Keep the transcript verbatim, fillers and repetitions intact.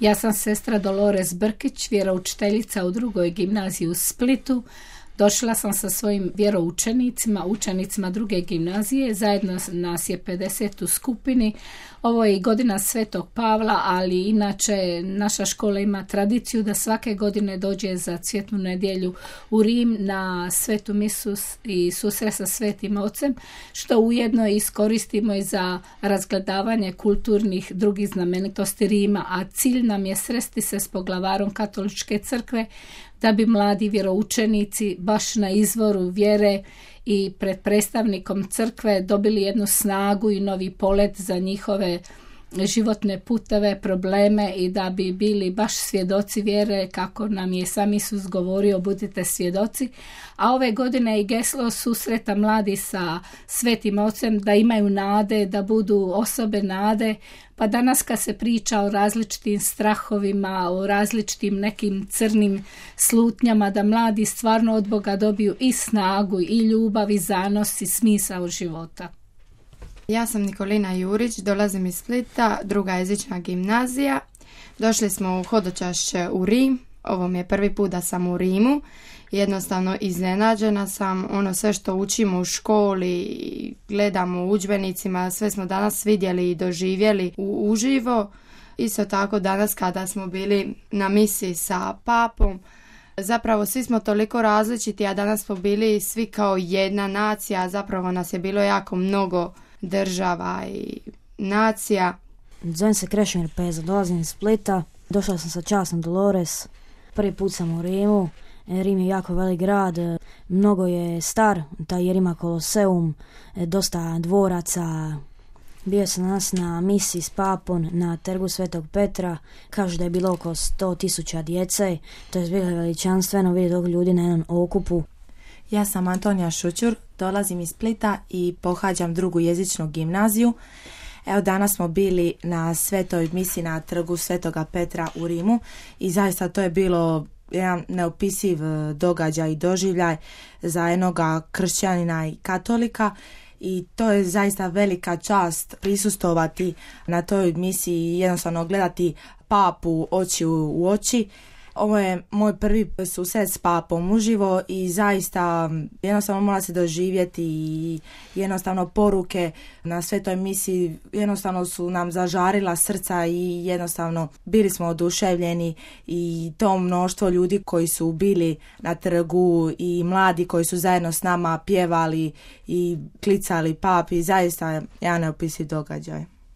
Ja sam sestra Dolores Brkić, vjeroučiteljica u drugoj gimnaziji u Splitu. Došla sam sa svojim vjeroučenicima, učenicima druge gimnazije, zajedno nas je pedeset u skupini. Ovo je i godina Svetog Pavla, ali inače naša škola ima tradiciju da svake godine dođe za Cvjetnu nedjelju u Rim na svetu misu i susret sa Svetim Ocem, što ujedno iskoristimo i za razgledavanje kulturnih drugih znamenitosti Rima, a cilj nam je sresti se s poglavarom Katoličke crkve da bi mladi vjeroučenici baš na izvoru vjere i pred predstavnikom crkve dobili jednu snagu i novi polet za njihove životne puteve, probleme i da bi bili baš svjedoci vjere kako nam je sam Isus govorio, budite svjedoci. A ove godine i geslo susreta mladi sa Svetim Ocem da imaju nade, da budu osobe nade. Pa danas kad se priča o različitim strahovima, o različitim nekim crnim slutnjama, da mladi stvarno od Boga dobiju i snagu, i ljubav, i zanos, i smisao života. Ja sam Nikolina Jurić, dolazim iz Splita, druga jezična gimnazija. Došli smo u hodočašće u Rim. Ovo mi je prvi put da sam u Rimu. Jednostavno iznenađena sam, ono sve što učimo u školi, gledamo u udžbenicima, sve smo danas vidjeli i doživjeli u uživo. Isto tako danas kada smo bili na misiji sa papom, zapravo svi smo toliko različiti, a danas smo bili svi kao jedna nacija, zapravo nas je bilo jako mnogo država i nacija. Zovem se Krešimir Peza, dolazim iz Splita, došla sam sa časnom Dolores, prvi put sam u Rimu. Rim je jako velik grad, mnogo je star, taj jer ima Koloseum, dosta dvoraca. Bio sam danas na misiji s papom na trgu Svetog Petra, kažu da je bilo oko sto tisuća djece, to je bilo veličanstveno vidjeti toliko ljudi na jednom okupu. Ja sam Antonija Šućur, dolazim iz Splita i pohađam drugu jezičnu gimnaziju. Evo danas smo bili na svetoj misiji na trgu Svetoga Petra u Rimu i zaista to je bilo jedan neopisiv događaj i doživljaj za jednoga kršćanina i katolika i to je zaista velika čast prisustovati na toj misiji i jednostavno gledati papu oči u oči. Ovo je moj prvi susret s papom uživo i zaista jednostavno mora se doživjeti i jednostavno poruke na svetoj misiji jednostavno su nam zažarila srca i jednostavno bili smo oduševljeni i to mnoštvo ljudi koji su bili na trgu i mladi koji su zajedno s nama pjevali i klicali papi, zaista jedan neopisiv događaj.